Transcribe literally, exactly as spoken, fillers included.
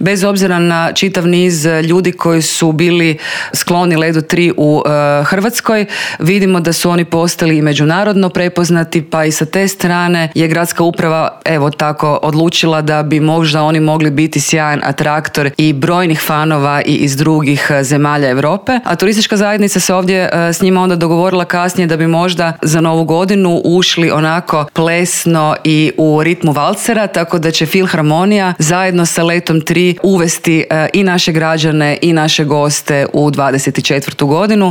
Bez obzira na čitav niz ljudi koji su bili skloni Ledu tri u e, Hrvatskoj, vidimo da su oni postali i međunarodno prepoznati, pa i sa te strane je gradska uprava evo tako odlučila da bi možda oni mogli biti sjajan atraktor i brojnih fanova i iz drugih zemalja Europe. A turistička zajednica se ovdje e, s njima onda dogovorila kasnije da bi možda za novu godinu ušli onako plesno i u ritmu valcera, tako da će Filharmonija zajedno sa Letom tri uvesti e, i naše građane i naše goste u dvadeset četvrtu godinu.